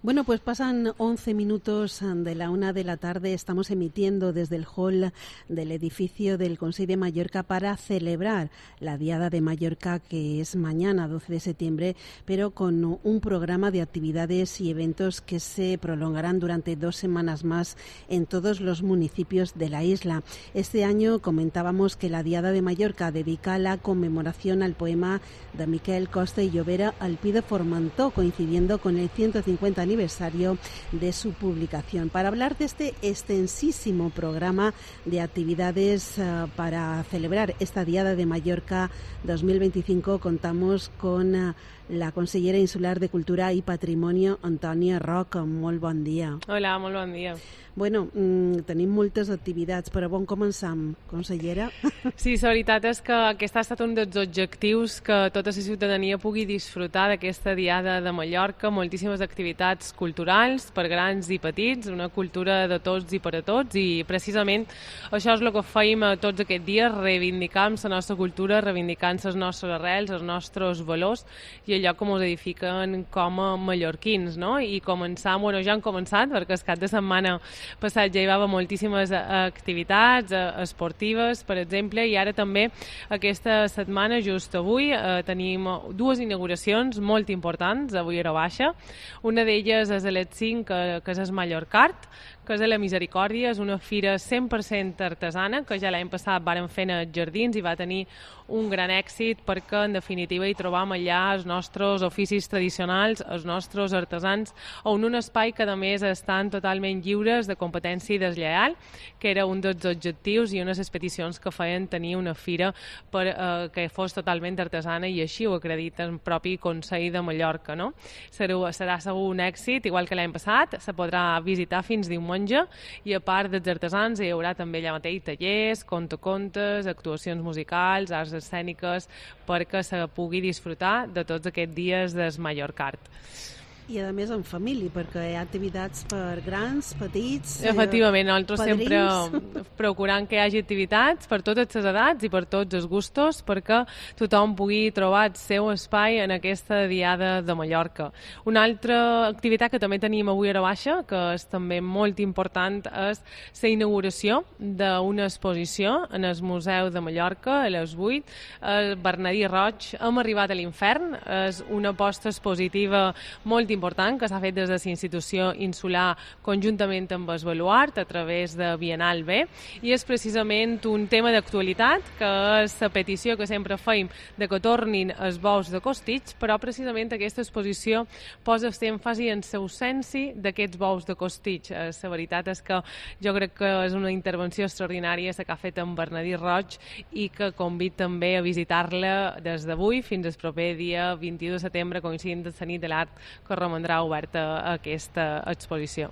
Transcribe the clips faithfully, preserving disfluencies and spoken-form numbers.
Bueno, pues pasan once minutos de la una de la tarde. Estamos emitiendo desde el hall del edificio del Consell de Mallorca para celebrar la Diada de Mallorca, que es mañana, doce de septiembre, pero con un programa de actividades y eventos que se prolongarán durante dos semanas más en todos los municipios de la isla. Este año comentábamos que la Diada de Mallorca dedica la conmemoración al poema de Miquel Costa y Llobera, Al pi de Formentor, coincidiendo con el ciento cincuenta aniversario de su publicación. Para hablar de este extensísimo programa de actividades uh, para celebrar esta Diada de Mallorca dos mil veinticinco, contamos con uh, la consellera insular de Cultura i Patrimoni, Antònia Roc. Molt bon dia. Hola, molt bon dia. Bueno, mmm, tenim moltes activitats, però on començam, consellera? Sí, la veritat és que aquest ha estat un dels objectius, que tota la ciutadania pugui disfrutar d'aquesta Diada de Mallorca, moltíssimes activitats culturals per grans i petits, una cultura de tots i per a tots, i precisament això és el que feim tots aquests dies, reivindicant la nostra cultura, reivindicant les nostres arrels, els nostres valors i allò que ens edifiquen com a mallorquins, no? I començar, bueno, ja han començat, perquè el cap de setmana passat ja hi va haver moltíssimes activitats esportives, per exemple, i ara també aquesta setmana, just avui, eh, tenim dues inauguracions molt importants avui a Baixa. Una d'elles és a les cinc, que, que és el Mallorcart, que és de la Misericòrdia, és una fira cent per cent artesana, que ja l'any passat varen fer als jardins i va tenir un gran èxit perquè, en definitiva, hi trobam allà els nostres oficis tradicionals, els nostres artesans, on un espai que, a més, estan totalment lliures de competència i deslleial, que era un dels objectius i unes peticions que feien tenir una fira per, eh, que fos totalment artesana, i així ho acredita el propi Consell de Mallorca, no? Serà, serà segur un èxit, igual que l'any passat, se podrà visitar fins diumenge, i a part dels artesans hi haurà també allà mateix tallers, contacontes, actuacions musicals, arts escèniques, perquè se pugui disfrutar de tots aquests dies del Mallorcart. I a més en família, perquè hi ha activitats per grans, petits... Efectivament, nosaltres padrins. sempre procurant que hi hagi activitats per totes les edats i per tots els gustos, perquè tothom pugui trobar el seu espai en aquesta Diada de Mallorca. Una altra activitat que també tenim avui a Baixa, que és també molt important, és la inauguració d'una exposició en el Museu de Mallorca a les vuit. El Bernadí Roig, Hem arribat a l'infern, és una aposta expositiva molt important que s'ha fet des de la institució insular conjuntament amb el Baluart a través de Bienal B, i és precisament un tema d'actualitat, que és la petició que sempre feim de que tornin els bous de Costitx, però precisament aquesta exposició posa èmfasi en l'ausenci d'aquests bous de Costitx. La veritat és que jo crec que és una intervenció extraordinària la que ha fet en Bernadí Roig, i que convid també a visitar-la des d'avui fins al proper dia vint-i-u de setembre, coincidint amb la nit de l'art, que romandrà oberta aquesta exposició.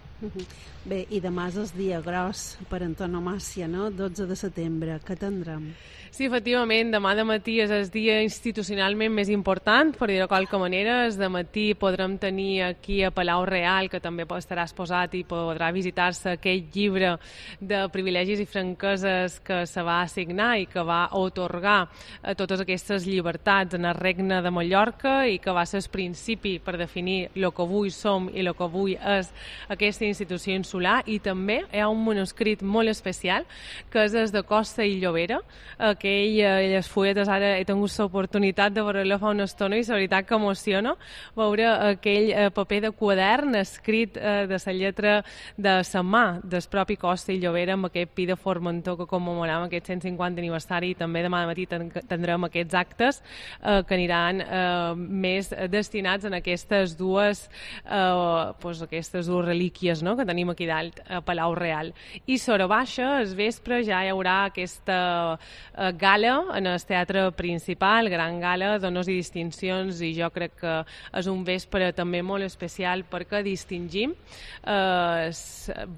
Bé, i demà és el dia gros per antonomàsia, no? dotze de setembre. Què tindrem? Sí, efectivament, demà de matí és el dia institucionalment més important, per dir-ho de qualque manera. De matí podrem tenir aquí a Palau Real, que també estarà exposat i podrà visitar-se aquell llibre de privilegis i franqueses que se va assignar i que va otorgar a totes aquestes llibertats en el Regne de Mallorca, i que va ser el principi per definir el que avui som i el que avui és aquesta institució insular. I també hi ha un manuscrit molt especial, que és el de Costa i Llobera, aquell, les fulletes, ara he tingut l'oportunitat de veure-lo fa una estona i la veritat que emociona veure aquell paper de quadern escrit de la lletra de la mà del propi Costa i Llobera, amb aquest pi de Formentor que commemoram aquest cent cinquanta aniversari, i també demà de matí tindrem aquests actes eh, que aniran eh, més destinats en aquestes dues eh, pues, aquestes dues relíquies, no?, que tenim aquí dalt a Palau Real. I sobre Baixa, al vespre, ja hi haurà aquesta eh, gala en el teatre principal, gran gala d'honors i distincions, i jo crec que és un vespre també molt especial perquè distingim eh,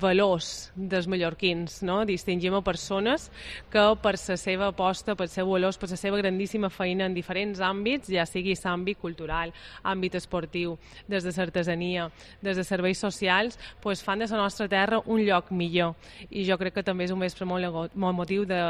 valors dels mallorquins, no? Distingim a persones que per la seva aposta, per els seus valors, per la seva grandíssima feina en diferents àmbits, ja sigui l'àmbit cultural, àmbit esportiu, des des de l'artesania, des de serveis socials, pues, fan de la nostra terra un lloc millor. I jo crec que també és un vespre molt, molt motiu de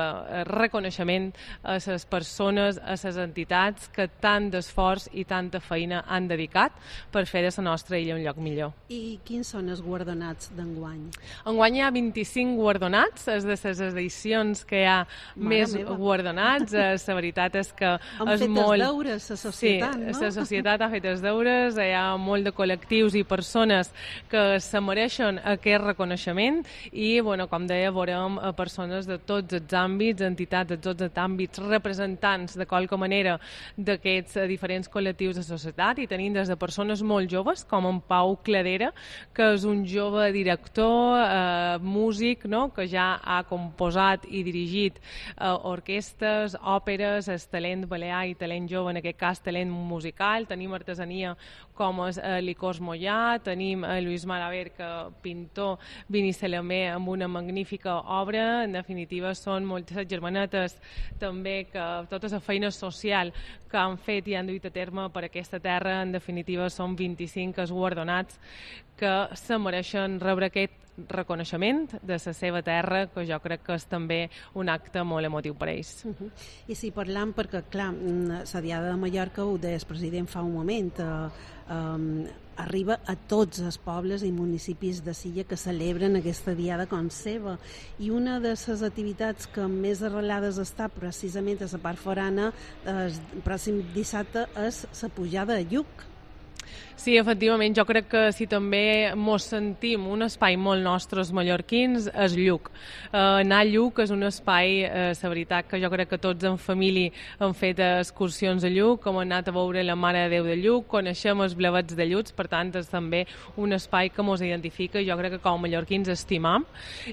reconeixement a les persones, a les entitats que tant d'esforç i tanta feina han dedicat per fer de la nostra illa un lloc millor. I quins són els guardonats d'enguany? Enguany hi ha vint-i-cinc guardonats, és de les edicions que hi ha Mare més meva. guardonats. La veritat és que Han és fet molt... els deures, la societat, sí, no? la societat ha fet els deures, hi ha molt de col·lectius i persones que se mereixen aquest reconeixement i, bueno, com deia, veurem persones de tots els àmbits, entitats de tots els àmbits, representants de qualque manera d'aquests diferents col·lectius de societat, i tenim des de persones molt joves, com en Pau Cladera, que és un jove director, eh, músic, no?, que ja ha composat i dirigit eh, orquestes, òperes, el talent balear i talent jove, en aquest cas talent musical. Tenim artesania com és eh, Licors Mollà, tenim eh, Lluís Maraver, que pintor vinicelemer amb una magnífica obra. En definitiva, són moltes germanetes també, que tota la feina social que han fet i han duit a terme per aquesta terra. En definitiva, són vint-i-cinc els guardonats que se mereixen rebre aquest reconeixement de la seva terra, que jo crec que és també un acte molt emotiu per ells. Uh-huh. I si parlam, perquè clar, la Diada de Mallorca, ho deia el president fa un moment, eh, eh, arriba a tots els pobles i municipis de Silla que celebren aquesta diada com seva, i una de les activitats que més arrelades està precisament a la part forana el pròxim dissabte és la pujada a Lluc. Sí, efectivament, jo crec que si també mos sentim un espai molt nostre, els mallorquins, és Lluc. Eh, anar a Lluc és un espai, eh, la veritat, que jo crec que tots en família han fet excursions a Lluc, hem anat a veure la Mare de Déu de Lluc, coneixem els blavets de Lluc, per tant és també un espai que mos identifica i jo crec que com a mallorquins estimam,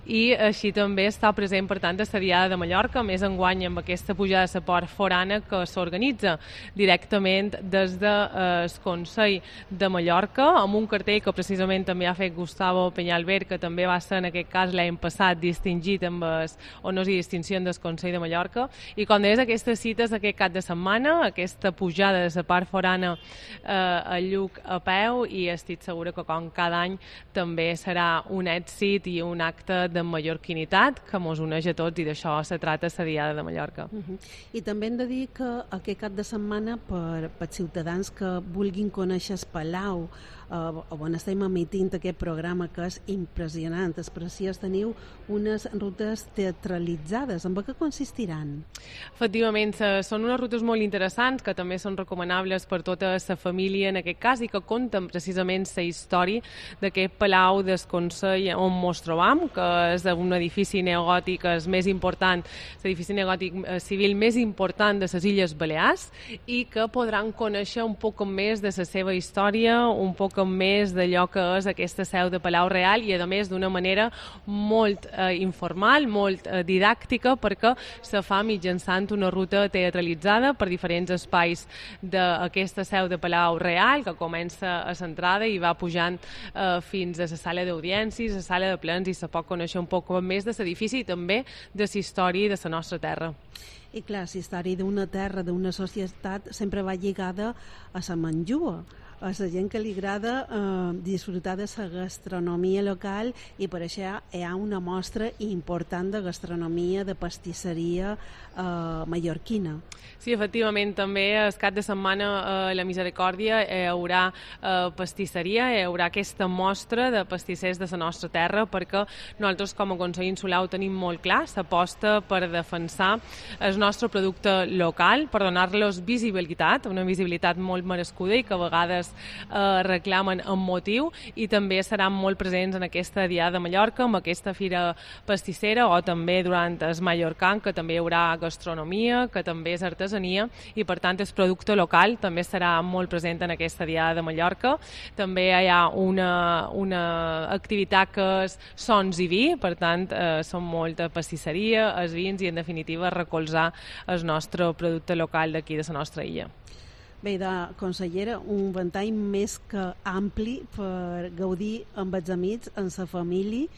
i així també està present, per tant, a la Diada de Mallorca, més enguany amb aquesta pujada de la port forana que s'organitza directament des del eh, Consell de Mallorca, amb un cartell que precisament també ha fet Gustavo Peñalver, que també va ser en aquest cas l'any passat distingit amb els honors i distincions del Consell de Mallorca. I com deies, aquestes cites aquest cap de setmana, aquesta pujada de la part forana eh, a Lluc a peu, i estic segura que com cada any també serà un èxit i un acte de mallorquinitat que mos uneix a tots, i d'això se trata la Diada de Mallorca. Uh -huh. I també hem de dir que aquest cap de setmana, per, per ciutadans que vulguin conèixer el Palau, eh, on estem emitint aquest programa que és impressionant, és preciós, teniu unes rutes teatralitzades. En què consistiran? Efectivament, són unes rutes molt interessants que també són recomanables per tota la família en aquest cas, i que compten precisament la història d'aquest Palau del Consell on mos trobam, que és un edifici neogòtic és més important, l'edifici neogòtic civil més important de les Illes Balears, i que podran conèixer un poc més de la seva història, un poc més d'allò que és aquesta seu de Palau Real, i a més d'una manera molt eh, informal, molt eh, didàctica, perquè se fa mitjançant una ruta teatralitzada per diferents espais d'aquesta seu de Palau Real, que comença a l'entrada i va pujant eh, fins a la sala d'audiències, a la sala de plens, i se pot conèixer un poc més de l'edifici i també de la història de la nostra terra. I clar, la història d'una terra, d'una societat, sempre va lligada a la menjua, a la gent que li agrada eh, disfrutar de la gastronomia local, i per això hi ha una mostra important de gastronomia, de pastisseria eh, mallorquina. Sí, efectivament, també el cap de setmana a la Misericòrdia hi haurà eh, pastisseria, hi haurà aquesta mostra de pastissers de la nostra terra, perquè nosaltres com a Consell Insular ho tenim molt clar, s'aposta per defensar el nostre producte local, per donar-los visibilitat, una visibilitat molt merescuda i que a vegades eh, reclamen amb motiu, i també seran molt presents en aquesta Diada de Mallorca, amb aquesta fira pastissera, o també durant el Mallorcan, que també hi haurà gastronomia, que també és artesania, i per tant el producte local també serà molt present en aquesta Diada de Mallorca. També hi ha una, una activitat que és sons i vi, per tant eh, són molta pastisseria, els vins, i en definitiva recolzar el nostre producte local d'aquí de la nostra illa. Bé, de consellera, un ventall més que ampli per gaudir amb els amics, amb la família,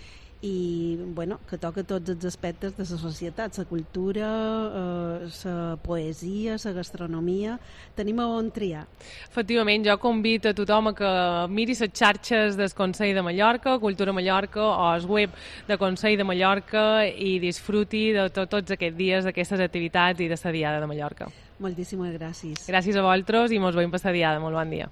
i bueno, que toca tots els aspectes de la societat, la cultura, eh, la poesia, la gastronomia. Tenim a on triar. Efectivament, jo convido a tothom a que miri les xarxes del Consell de Mallorca, Cultura Mallorca, o el web de Consell de Mallorca, i disfruti de to tots aquests dies d'aquestes activitats i de la Diada de Mallorca. Moltíssimes gràcies. Gràcies a vosaltres i mos veiem per la Diada. Molt bon dia.